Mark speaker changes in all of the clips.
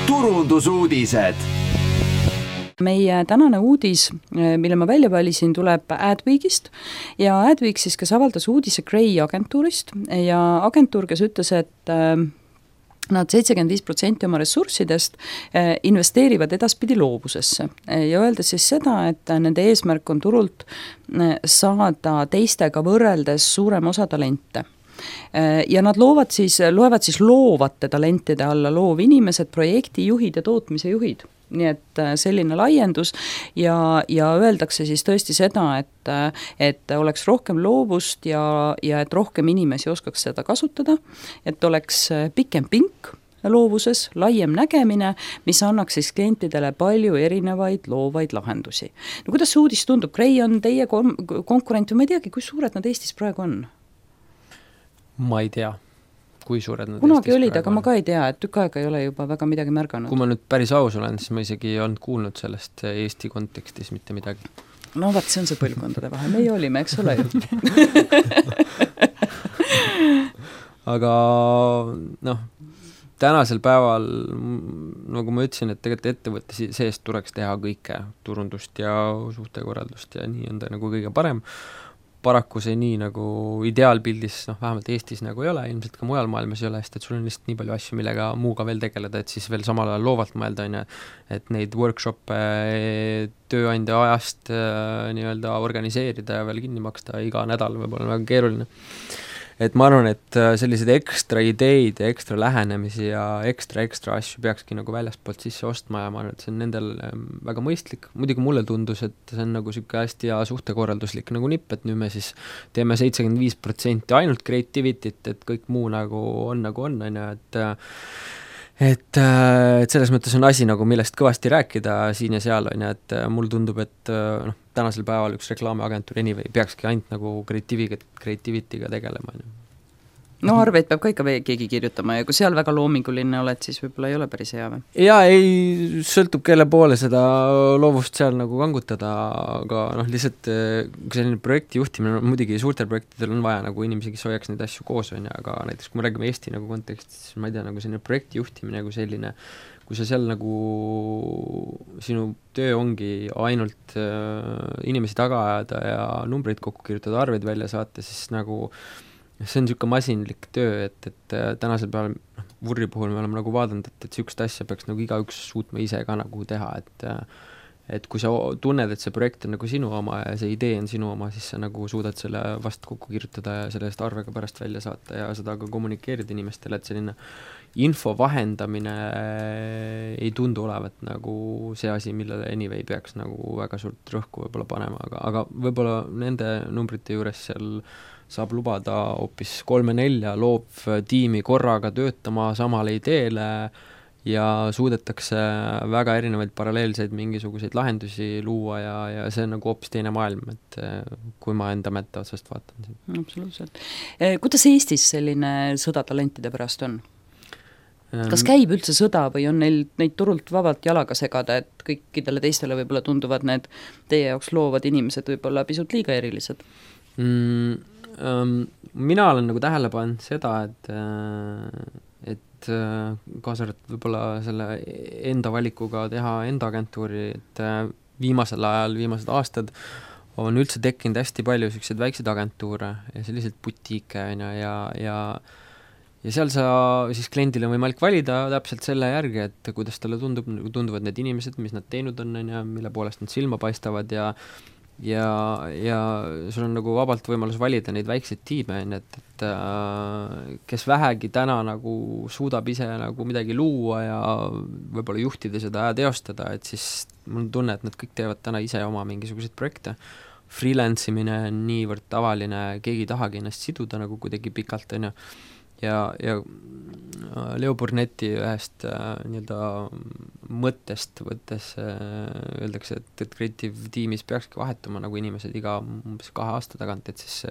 Speaker 1: turundusuudised.
Speaker 2: Meie tänane uudis, mille ma välja valisin, tuleb Adweekist ja Adweek siis, kes avaldas uudise Gray agentuurist ja agentuur, kes ütles, et nad 75% oma ressurssidest investeerivad edaspidi loovusesse ja öeldes siis seda, et nende eesmärk on turult saada teistega võrreldes suurem osa talente. Ja nad loevad siis loovate talentide alla loovinimesed, projektijuhid ja tootmise juhid. Nii et selline laiendus ja öeldakse siis tõesti seda, et oleks rohkem loovust ja et rohkem inimesi oskaks seda kasutada, et oleks pikem pink loovuses, laiem nägemine, mis annaks siis klientidele palju erinevaid loovaid lahendusi. No kuidas see uudis tundub? Gray on teie konkurent või ma ei teagi, kui suured nad Eestis praegu on?
Speaker 3: Ma ei tea, kui suured nad
Speaker 2: kunagi olid, aga ma ka ei tea, et tükk aega ei ole juba väga midagi märganud.
Speaker 3: Kui ma nüüd päris aus olen, siis ma isegi ei olnud kuulnud sellest Eesti kontekstis mitte midagi.
Speaker 2: No vaat, see on see põlvkondade vahe. Meie olime, eks ole ju.
Speaker 3: Aga tänasel päeval, nagu ma ütlesin, et tegelikult ettevõtte seest tuleks teha kõike, turundust ja suhtekorraldust ja nii on ta nagu kõige parem. Paraku see nii nagu ideaalpildis, vähemalt Eestis nagu ei ole, ilmselt ka mujal maailmas ei ole, sest et sul on lihtsalt nii palju asju, millega muuga veel tegeleda, et siis veel samal ajal loovalt mõelda, et neid workshop'e tööandja ajast nii-öelda organiseerida ja veel kinni maksta iga nädal võib olla väga keeruline. Et ma arvan, et sellised ekstra ideid ja ekstra lähenemisi ja ekstra asju peakski nagu väljaspoolt sisse ostma ja ma arvan, et see on nendel väga mõistlik. Muidugi mulle tundus, et see on nagu siuke hästi hea suhtekorralduslik nagu nipp, et nüüd me siis teeme 75% ainult creativity't, et kõik muu nagu on, et selles mõttes on asi nagu millest kõvasti rääkida siin ja seal on ja et mul tundub, et tänasel päeval üks reklaamiagentuur anyway peakski ainult nagu creativity'ga tegelema.
Speaker 2: No arveid peab ka ikka keegi kirjutama ja kui seal väga loominguline oled, siis võib-olla ei ole päris hea või?
Speaker 3: Jaa, ei sõltub kelle poole seda loovust seal nagu kangutada, aga lihtsalt kui selline projekti juhtimine, muidugi suurtel projektidel on vaja nagu inimesi, kes hoiaks neid asju koos on ja, aga näiteks kui me räägime Eesti nagu kontekstis, ma ei tea, nagu selline projekti juhtimine nagu selline, kui sa seal nagu sinu töö ongi ainult inimesi taga ajada ja numbreid kokku kirjutada, arveid välja saata, siis nagu see on niisugune masinlik töö, et tänasel päeval Vurri puhul me oleme nagu vaadanud, et niisugust asja peaks nagu igaüks suutma ise ka nagu teha, et kui sa tunned, et see projekt on nagu sinu oma ja see idee on sinu oma, siis sa nagu suudad selle vast kokku kirjutada ja sellest arvega pärast välja saata ja seda ka kommunikeerida inimestele, et selline info vahendamine ei tundu olevat nagu see asi, millele anyway peaks nagu väga suurt rõhku võib-olla panema, aga võib-olla nende numbrite juures seal saab lubada hoopis 3-4 loovtiimi korraga töötama samale ideele ja suudetakse väga erinevaid paralleelseid mingisuguseid lahendusi luua ja see on nagu hoopis teine maailm, et kui ma enda mätta otsast vaatan.
Speaker 2: Absoluutselt. Kuidas Eestis selline sõda talentide pärast on? Kas käib üldse sõda või on neid turult vabalt jalaga segada, et kõikidele teistele võib-olla tunduvad need teie jaoks loovad inimesed võib-olla pisut liiga erilised?
Speaker 3: Mina olen nagu tähele pannud seda, et kaasarvat võib-olla selle enda valikuga teha enda agentuuri, et viimasel ajal, viimased aastad on üldse tekkinud hästi palju selliseid väikseid agentuure ja selliseid butiike ja seal sa siis kliendile on võimalik valida täpselt selle järgi, et kuidas talle tunduvad need inimesed, mis nad teinud on ja mille poolest nad silma paistavad ja sul on nagu vabalt võimalus valida neid väikseid tiime, et kes vähegi täna nagu suudab ise nagu midagi luua ja võib-olla juhtida seda ja teostada, et siis mul on tunne, et nad kõik teevad täna ise oma mingisuguseid projekte. Freelance imine on niivõrd tavaline, keegi ei tahagi ennast siduda nagu kuidagi pikalt on ja Leo Burneti ühest nii-öelda mõttest võttes öeldakse, et Creative tiimis peakski vahetuma nagu inimesed iga 2 aasta tagant, et siis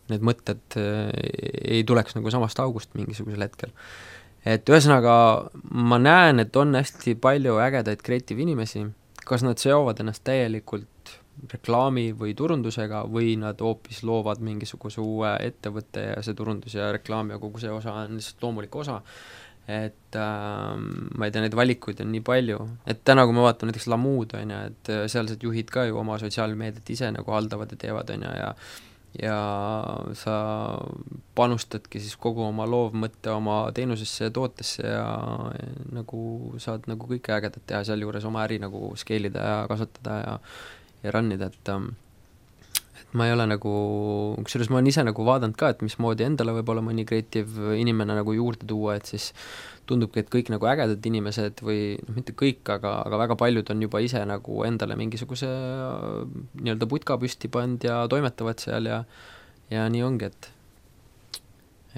Speaker 3: need mõtted ei tuleks nagu samast august mingisugusel hetkel. Et ühesõnaga ma näen, et on hästi palju ägedaid Creative inimesi, kas nad seovad ennast täielikult reklaami või turundusega või nad hoopis loovad mingisuguse uue ettevõtte ja see turundus ja reklaam ja kogu see osa on lihtsalt loomulik osa. et ma ei tea, neid valikuid on nii palju, et täna, kui ma vaatan näiteks Lamood, on ju, et sealsed juhid ka ju oma sotsiaalmeediat ise nagu haldavad ja teevad, on ju, ja sa panustadki siis kogu oma loovmõtte oma teenusesse ja tootesse ja nagu saad nagu kõike ägedat teha sealjuures oma äri nagu scale ida ja kasvatada ja runnida, et ma ei ole nagu, kusjuures ma olen ise nagu vaadanud ka, et mismoodi endale võib-olla mõni creative inimene nagu juurde tuua, et siis tundubki, et kõik nagu ägedad inimesed või noh, mitte kõik, aga väga paljud on juba ise nagu endale mingisuguse nii-öelda putka püsti pannud ja toimetavad seal ja nii ongi,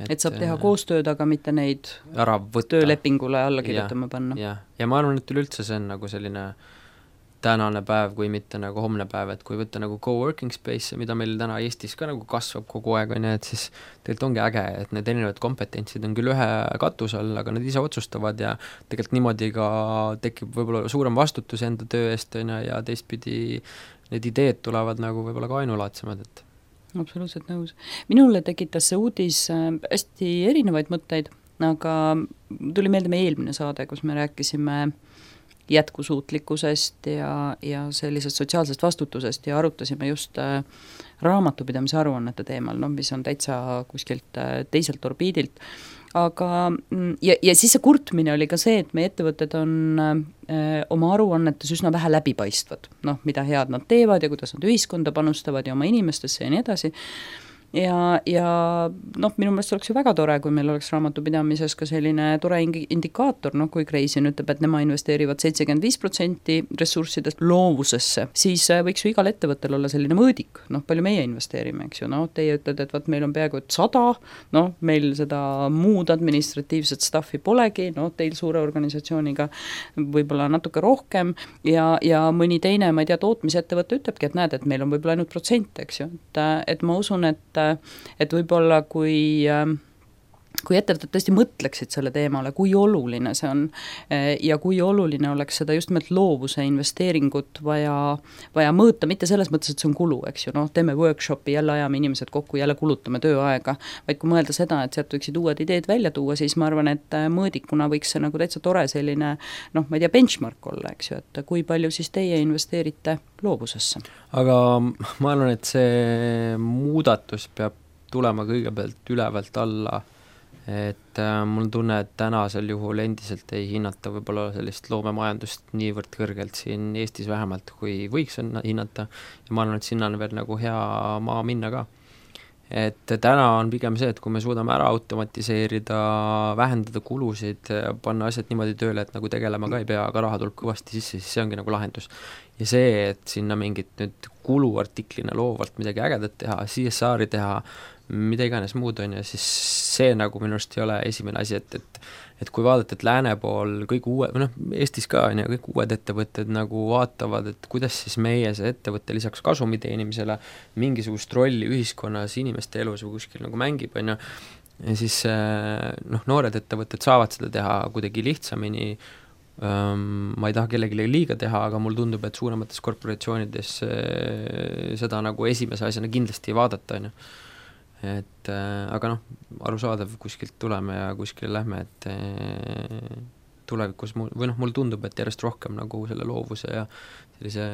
Speaker 2: et saab teha koostööd, aga mitte neid
Speaker 3: ära võtta,
Speaker 2: töölepingule alla kirjutama panna.
Speaker 3: Ja ma arvan, et üleüldse see on nagu selline tänane päev, kui mitte nagu homne päev, et kui võtta nagu co-working space, mida meil täna Eestis ka nagu kasvab kogu aeg, on ju, et siis tegelikult ongi äge, et need erinevad kompetentsid on küll ühe katuse all, aga nad ise otsustavad ja tegelikult niimoodi ka tekib võib-olla suurem vastutus enda töö eest, on ju, ja teistpidi need ideed tulevad nagu võib-olla ka ainulaadsemad, et
Speaker 2: absoluutselt nõus. Minule tekitas see uudis hästi erinevaid mõtteid, aga tuli meelde meie eelmine saade, kus me rääkisime jätkusuutlikkusest ja sellisest sotsiaalsest vastutusest ja arutasime just raamatupidamise aruannete teemal, mis on täitsa kuskilt teiselt orbiidilt. Aga ja siis see kurtmine oli ka see, et meie ettevõtted on oma aruannetes üsna vähe läbipaistvad, mida head nad teevad ja kuidas nad ühiskonda panustavad ja oma inimestesse ja nii edasi. Ja minu meelest oleks ju väga tore, kui meil oleks raamatupidamises ka selline tore indikaator, kui Kreisin ütleb, et nema investeerivad 75% ressurssidest loovusesse, siis võiks ju igal ettevõttel olla selline mõõdik, palju meie investeerime, eks ju, teie ütled, et meil on peaaegu 100, meil seda muud administratiivset staffi polegi, teil suure organisatsiooniga võib-olla natuke rohkem ja mõni teine, ma ei tea, tootmisettevõte ütlebki, et näed, et meil on võib-olla ainult protsent, eks ju, et ma usun, et võib-olla kui ettevõtted tõesti mõtleksid selle teemale, kui oluline see on ja kui oluline oleks seda just nimelt loovuse investeeringut vaja mõõta, mitte selles mõttes, et see on kulu, eks ju, teeme workshopi, jälle ajame inimesed kokku, jälle kulutame tööaega, vaid kui mõelda seda, et sealt võiksid uued ideed välja tuua, siis ma arvan, et mõõdikuna võiks see nagu täitsa tore selline, ma ei tea, benchmark olla, eks ju, et kui palju siis teie investeerite loovusesse.
Speaker 3: Aga ma arvan, et see muudatus peab tulema kõigepealt ülevalt alla, et mul tunne, et tänasel juhul endiselt ei hinnata võib-olla sellist loomemajandust niivõrd kõrgelt siin Eestis vähemalt, kui võiks hinnata ja ma arvan, et sinna on veel nagu hea maa minna ka. Et täna on pigem see, et kui me suudame ära automatiseerida, vähendada kulusid, panna asjad niimoodi tööle, et nagu tegelema ka ei pea, aga raha tuleb kõvasti sisse, siis see ongi nagu lahendus. Ja see, et sinna mingit nüüd kuluartiklina loovalt midagi ägedat teha, CSR-i teha, mida iganes muud on ja siis see nagu minu arust ei ole esimene asi, et kui vaadata, et lääne pool kõik uue, Eestis ka on ja kõik uued ettevõtted nagu vaatavad, et kuidas siis meie see ettevõtte lisaks kasumi teenimisele mingisugust rolli ühiskonnas, inimeste elus või kuskil nagu mängib, on ju, ja siis noored ettevõtted saavad seda teha kuidagi lihtsamini, ma ei taha kellelegi liiga teha, aga mul tundub, et suuremates korporatsioonides seda nagu esimese asjana kindlasti ei vaadata, on ju. Et aga arusaadav, kuskilt tuleme ja kuskile lähme, et tulevikus mul tundub, et järjest rohkem nagu selle loovuse ja sellise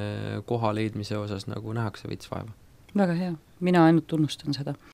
Speaker 3: koha leidmise osas nagu nähakse veits vaeva.
Speaker 2: Väga hea, mina ainult tunnustan seda.